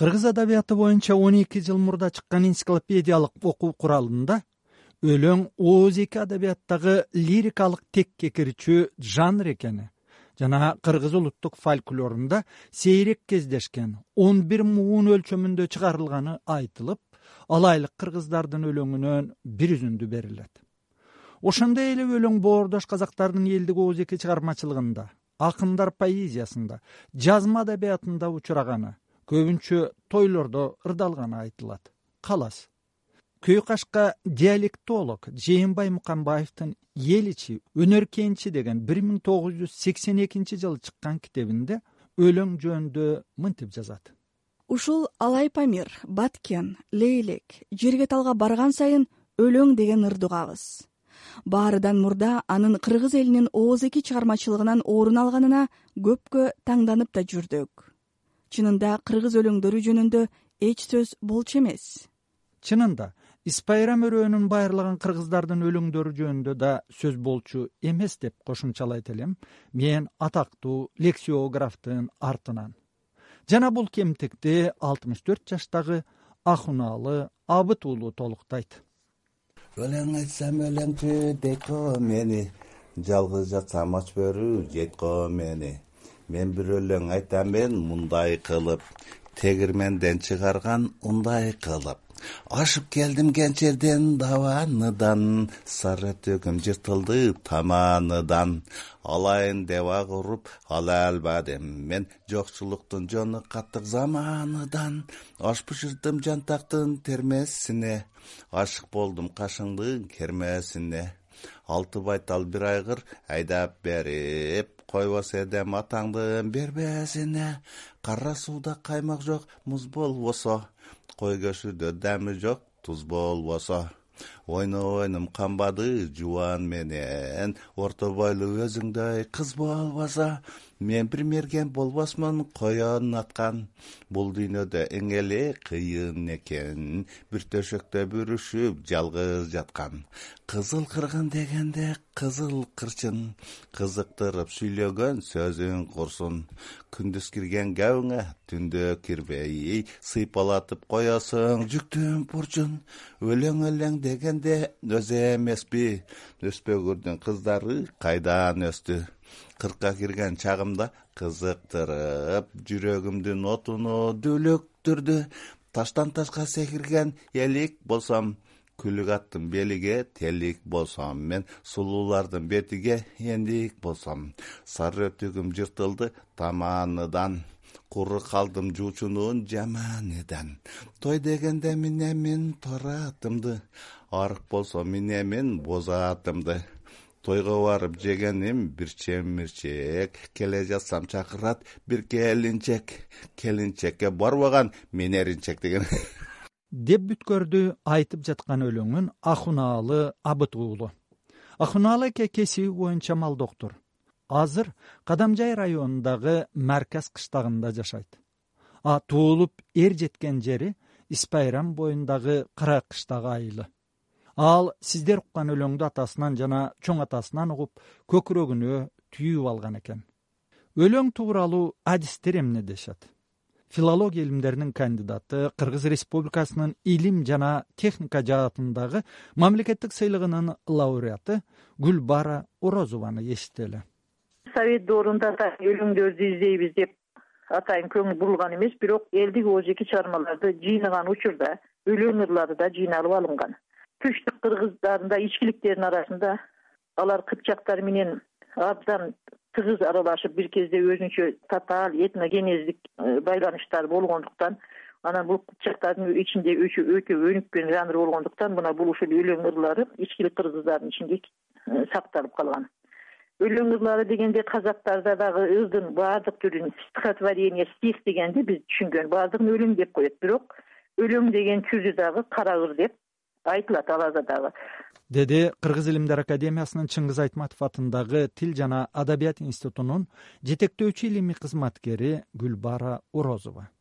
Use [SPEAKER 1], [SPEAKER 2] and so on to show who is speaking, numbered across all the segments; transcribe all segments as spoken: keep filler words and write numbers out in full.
[SPEAKER 1] Кыргыз адабияты боюнча он эки жыл мурда чыккан энциклопедиялык окуу куралында өлөң Оз эки адабияттагы лирикалык текке кирчү жанр экени жана кыргыз улуттук фольклорунда сейрек кездешкен он бир муун өлчөмүндө чыгарылганы айтылып, алайлык кыргыздардын өлөңүнөн бир үзүндү берилет. Ошондой эле өлөң боордош казактардын элдик Оз эки чыгармачылыгында, акындар поэзиясында, жазма адабиятында учураганы, көбүнчө тойлордо ырдалганы айтылат. Калас. Көй кашка диалектолог Жээнбай Мукамбаевдин Эл ичи өнөр кенчи деген бир миң тогуз жүз сексен экинчи жылы чыккан китебинде өлөң жөнүндө мынтип жазат.
[SPEAKER 2] Ушул Алай Памир, Баткен, Лейлек жерге талга барган сайын өлөң деген ырды угабыз. Баарыдан мурда анын кыргыз элинин Оз эки чыгармачылыгынан орун алганына көпкө таңданып да жүрдүк. Чынында кыргыз өлөңдөрү жөнүндө эч сөз болчу эмес.
[SPEAKER 1] Чынында Испайрам өрөөнүн байырлаган кыргыздардын өлөңдөрү жөнүндө да сөз болчу эмес деп кошумчалайт элем мен атактуу лексиографтын артынан. Жана бул кемтикти алтымыш төрт жаштагы Ахунаалы Абыт уулу толуктайт.
[SPEAKER 3] Өлең айтсам өлеңчү дейт го мени, жалгыз жатсам ач бөрү жейт го мени. Мен бир өлең айтам мен мындай кылып, тегирменден чыгарган ундай кылып. Ашып келдим кенчерден даваныдан, сары төгүм жыртылды таманыдан. Алайын деп ак уруп ала албадым мен, жокчулуктун жону каттык заманыдан. Аш бышырдым жантактын термесине, ашык болдум кашыңдын кермесине. Алты байтал бир айгыр айдап берип, койбос эдем атаңдын бербесине. Кара сууда каймак жок муз болбосо, кой көшүдө дами жок туз болбосо. Ойно ойнум камбады жубан менен, орто бойлуу өзүңдөй кыз болбосо. Мен бир мерген болбосмун коен аткан, бул дүйнөдө эң эле кыйын экен, бир төшөктө бүрүшүп жалгыз жаткан. Кызыл кыргын дегенде кызыл кырчын, кызыктырып сүйлөгөн сөзүң курсун. Күндүз кирген габыңа түндө кирбей, сыйпалатып коесуң жүктүн бурчун. Өлең өлең дегенде өзү эмеспи, өспөгүрдүн кыздары кайдан өстү. Кыркка кирген чагымда кызыктырып, жүрөгүмдүн отуну дүлүктүрдү. Таштан ташка секирген элик болсом, күлүк аттын белиге телик болсом, мен сулуулардын бетиге эндик болсом. Сары түгүм жыртылды таманыдан, куру калдым жуучунун жаманыдан. Той дегенде минемин торатымды, арык болсо минемин бозатымды. Тойго барып жегеним бир чемирчек, келе жатсам чакырат бир келинчек. Келинчекке барбаган мен эринчек деген.
[SPEAKER 1] Деп бүткөрдү айтып жаткан өлөңүн Ахунаалы Абыт уулу. Ахунаалы эке кесиби боюнча мал доктур. Азыр Кадамжай районундагы Марказ кыштагында жашайт. А туулуп эр жеткен жери Испайрам боюндагы Кыра кыштагы айылы. Ал сиздер уккан өлөңдү атасынан жана чоң атасынан угуп, көкүрөгүнө түйүп алган экен. Өлөң тууралуу адистер эмне дешет? Филология илимдеринин кандидаты, Кыргыз Республикасынын илим жана техника жаатындагы мамлекеттик сыйлыгынын лауреаты Гүлбара Орозованы эситтели.
[SPEAKER 4] Совет доорунда да өлөңдөрдү издейбиз деп атайын көңүл бурулган эмес, бирок элдик Оз эки чыгармаларды жыйнаган учурда өлөң ырлары да жыйналып алынган. Түштүк кыргыздарында ичкиликтердин арасында алар кыпчактар менен абдан тыгыз аралашып, бир кезде өзүнчө татаал этногенездик байланыштар болгондуктан, анан бул кыпчактардын ичинде өтө өнүккөн жанр болгондуктан, мына бул ушул өлөң ырлары ичкилик кыргыздардын ичинде сакталып калган. Өлөң ырлары дегенде казактарда дагы ырдын баардык түрүн стихотворение, стих дегенде биз түшүнгөн баардыгын өлөң деп коет, бирок өлөң деген түрү дагы кара ыр деп айтылат аларда дагы.
[SPEAKER 1] Деди Кыргыз илимдер академиясынын Чыңгыз Айтматов атындагы Тил жана Адабият институтунун жетектөөчү илимий кызматкери Гүлбара Орозова.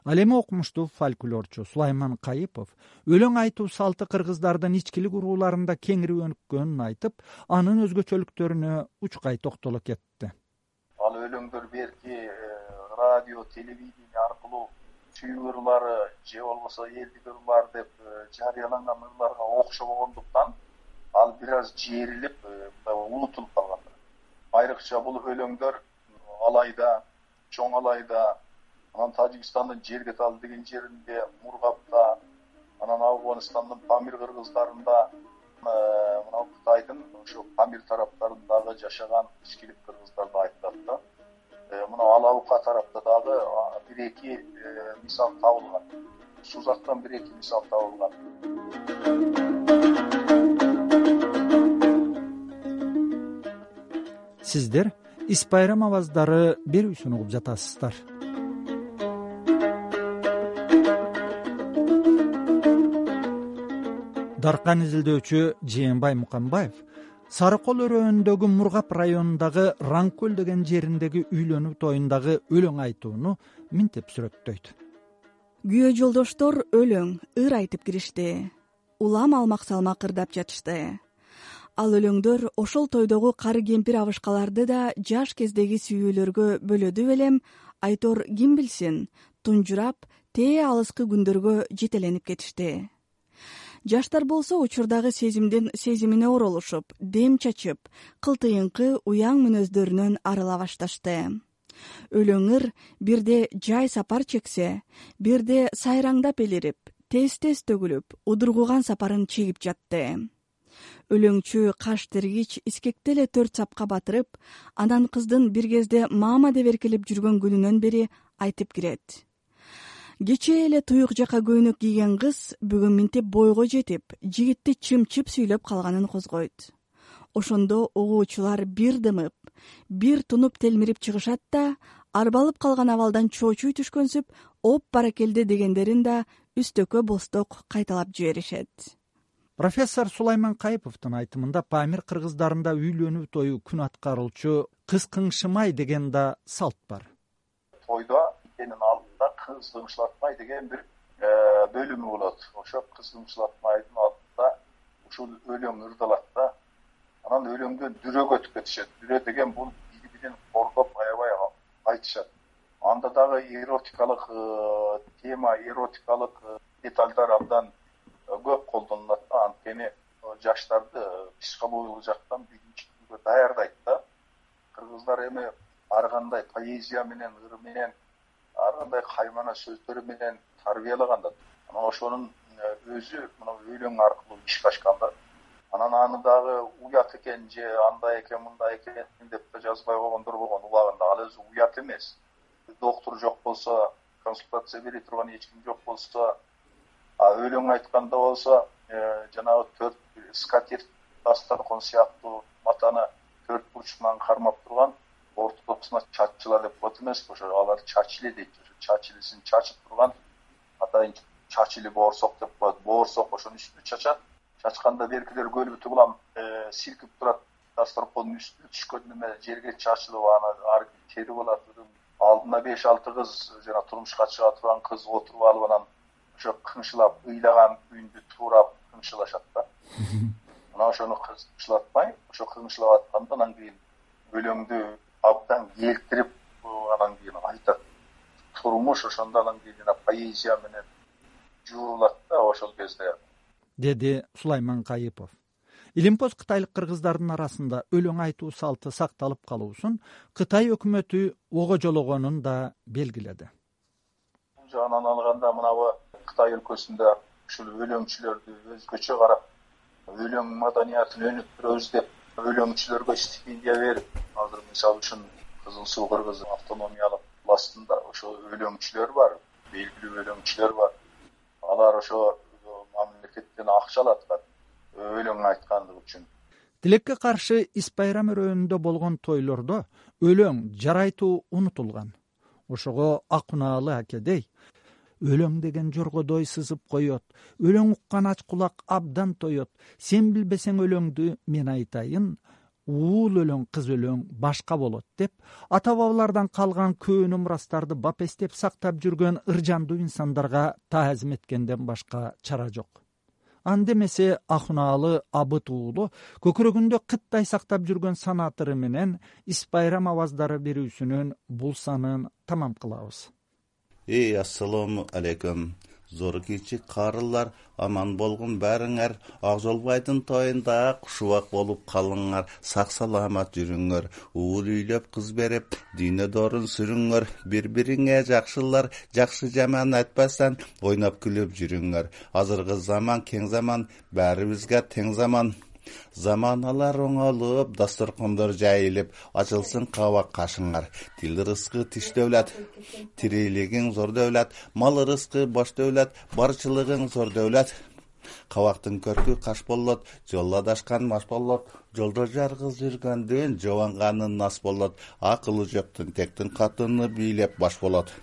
[SPEAKER 1] Ал эми окумуштуу фольклорчу Сулайман Кайыпов өлөң айтуу салты кыргыздардын ичкилик урууларында кеңири өнүккөнүн айтып, анын өзгөчөлүктөрүнө учкай токтоло кетти.
[SPEAKER 5] Ал өлөңдөр берки радио, телевидение аркылуу түйүк ырлары же болбосо элдик ырлар деп жарыяланган ырларга окшоо болгондуктан ал бир аз жээрилип унутулуп калган. Айрыкча бул өлөңдөр Алайда, Чоң Алайда, анан Тажикстандын Жерге талы деген жеринде, Мургапта, анан Афганистандын Памир кыргыздарында, мына Кытайдын ошо Памир тараптарындагы жашаган ичкилик кыргыздарды айтылат да. Мына Алаука тарапта дагы бир эки мисал табылган. Сузактан бир эки мисал табылган.
[SPEAKER 1] Сиздер Ис Байрам аваздары берүүсүн угуп жатасыздар. Даркан изилдөөчү Жээнбай Муканбаев Сары Кол өрөөнүндөгү Мургап районундагы Раңкөл деген жериндеги үйлөнүү тоюндагы өлөң айтууну минтип сүрөттөйт.
[SPEAKER 2] Күйөө жолдоштор өлөң, ыр айтып киришти. Улам алмак салмак ырдап жатышты. Ал өлөңдөр ошол тойдогу кары кемпир абышкаларды да жаш кездеги сүйүүлөргө бөлөдү белем, айтор ким билсин, тунжурап, тээ алыскы күндөргө жетеленип кетишти. Жаштар болсо учурдагы сезимдин сезимине оролушуп, дем чачып, кылтыйынкы уяң мүнөздөрүнөн арыла башташты. Өлөңөр бирде жай сапар чексе, бирде сайраңдап элирип, тез-тез төгүлүп, удургуган сапарын чегип жатты. Өлөңчү каш тергич искекте эле төрт сапка батырып, анан кыздын бир кезде мама деп эркелеп жүргөн күнүнөн бери айтып кирет. Кечээ эле туюк жака көйнөк кийген кыз бүгүн минтип бойго жетип, жигитти чымчып сүйлөп калганын козгойт. Ошондо угуучулар бир дымып, бир тунуп телмирип чыгышат да, арбалып калган абалдан чоочуй түшкөнсүп, оп баракелде дегендерин да үстөккө босток кайталап жиберишет.
[SPEAKER 1] Профессор Сулайман Кайыповдун айтымында Памир кыргыздарында үйлөнүү тою күн аткаруучу кыз кыңшымай деген да салт бар.
[SPEAKER 5] Тойдо энин алдында кыз кыңшылатмай деген бир бөлүмү болот. Ошо кыз кыңшылатмайдын алдында ушул өлөң ырдалат да. Анан өлөңдөн дүрөгө өтүп кетишет. Дүрө деген бул бири-бирин коргоп аябай айтышат. Анда дагы эротикалык тема, эротикалык детальдар абдан көп колдонулат да. Анткени жаштарды психологиялык жактан билимчиликке даярдайт да. Кыргыздар эми ар кандай поэзия менен, ыр менен, ар кандай каймана сөздөр менен тарбиялаган да. Анан ошонун өзү мына өлөң аркылуу ишке ашкан да. Анан аны дагы уят экен же андай экен, мындай экен деп жазбай койгондор болгон убагында. Ал өзү уят эмес. Доктор жок болсо, консультация бере турган эч ким жок болсо, а өлөң айтканда болсо, жанагы төрт скатерть дастаркон сыяктуу матаны төрт бурчунан кармап турган ортосуна чаччылар деп коет эмеспи? Ошо алар чачиле дейт. Ошо чачилесин чачып турган атайын чачили боорсок деп коет. Боорсок ошонун үстүнө чачат. Чачканда беркилер көлбүтү улам силкип турат. Дастаркондун үстүнө түшкөн неме жерге чачылып, аны ар тери болот. Алдына беш алты кыз, жана турмушка чыга турган кыз отуруп алып, анан ошо кыңшылап, ыйлаган күйүндү туурап кыңшылашат да. Мына ошону кыңшылатмай, ошо кыңшылап атканда анан кийин өлөңдү абдан келтирип, анан кийин айтат. Турмуш ошондо анан кийин поэзия менен жуулат да ошол кезде.
[SPEAKER 1] Деди Сулайман Кайыпов. Илимпоз кытайлык кыргыздардын арасында өлөң айтуу салты сакталып калуусун Кытай өкмөтү огожологонун да белгиледи.
[SPEAKER 5] Бул жагынан алганда мынабы Кытай өлкөсүндө ушул өлөңчүлөрдү өзгөчө карап, өлөң маданиятын өнүктүрөбүз деп өлөңчүлөргө стипендия берип, азыр мисалы үчүн Кызыл Суу кыргыз автономиялык областында ошо өлөңчүлөр бар, белгилүү өлөңчүлөр бар. Алар ошо мамлекеттен акча алат өлөң айткандыгы үчүн.
[SPEAKER 1] Тилекке каршы Ис Байрам өрөөнүндө болгон тойлордо өлөң жарайтуу унутулган. Ошого Акунаалы акедей өлөң деген жоргодой сызып коет, өлөң уккан ач кулак абдан тоет, сен билбесең өлөңдү мен айтайын, уул өлөң кыз өлөң башка болот деп ата бабалардан калган көөнү мурастарды бапестеп сактап жүргөн ыржандуу инсандарга таазим эткенден башка чара жок. Андемесе Акунаалы Абыт уулу көкүрөгүндө кыттай сактап жүргөн санаатыры менен Ис Байрам аваздары берүүсүнүн бул санын тамам кылабыз.
[SPEAKER 3] Эй, ассаламу алейкум. Зор кичик карылар, аман болгун бәріңер. Акжолбайдын тоюнда кушубак болуп калыңар. Сак саламат жүрүңөр. Уул үйлөп кыз берип, дүйнө дорун сүрүңөр. Бири-бириңе жакшылар, жакшы жаман айтпастан ойноп күлүп жүрүңөр. Азыркы заман кең заман, баарыбызга тең заман. Заманалар оңолуп, дасторкондор жайылып, ачылсын кабак кашыңар. Тил рызкы тиш дөөлөт, тирилигиң зор дөөлөт, мал рызкы бош дөөлөт, барчылыгың зор дөөлөт. Кабактын көркү каш болот, жолдо адашкан маш болот. Жолдо жаргыз жүргөндүн жобанганын нас болот. Акылы жоктун тектин катыны бийлеп баш болот.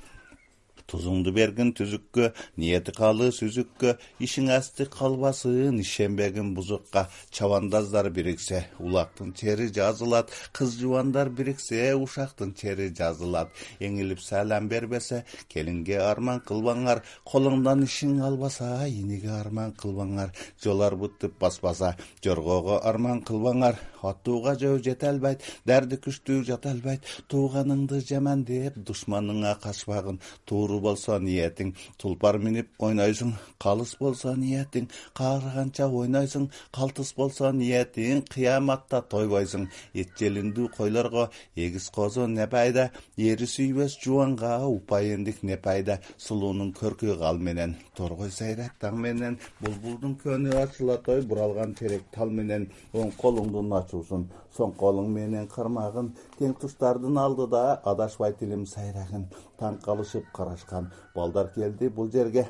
[SPEAKER 3] Тузуңду бергин түзүккө, ниети калы сүзүккө, ишиң асты калбасын, ишенбегин бузукка. Чабандаздар бириксе, улактын чери жазылат, кыз жубандар бириксе, ушактын чери жазылат. Эңилип салам бербесе, келинге арман кылбаңар, колуңдан ишиң албаса, иниге арман кылбаңар. Жол арбытып баспаса, жоргого арман кылбаңар. Аттууга жөө жете албайт, дәрди күчтүү жата албайт. Тууганыңды жаман деп, душманыңа качпагын. Тууру болсо ниетиң, тулпар минип ойнойсуң. Калыс болсо ниетиң, каарыганча ойнойсуң. Калтыс болсо ниетиң, кыяматта тойбойсуң. Эт желиндүү койлорго эгиз козу не пайда, ери сүйбөс жубанга упайындык не пайда. Сулуунун көркү кал менен, торгой сайрат таң менен. Булбулдун көнү ачыла той, буралган терек тал менен. Оң колуңдун ачуусун, соң колуң менен кармагын. Тең туштардын алдыда адашпай тилим сайрагын. Таң калышып карашкан балдар келди бул жерге.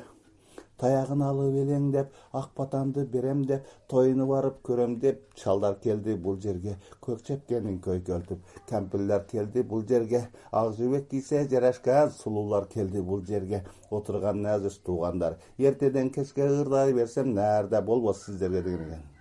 [SPEAKER 3] Таягын алып элең деп, ак батамды берем деп, тоюну барып көрөм деп, чалдар келди бул жерге. Көк чепкенин көйкөлтүп, кампирлер келди бул жерге. Ак жибек кийсе жарашкан сулуулар келди бул жерге. Отурган назыр туугандар, эртеден кечке ырдай берсем, нээрде болбос сиздерге деген экен.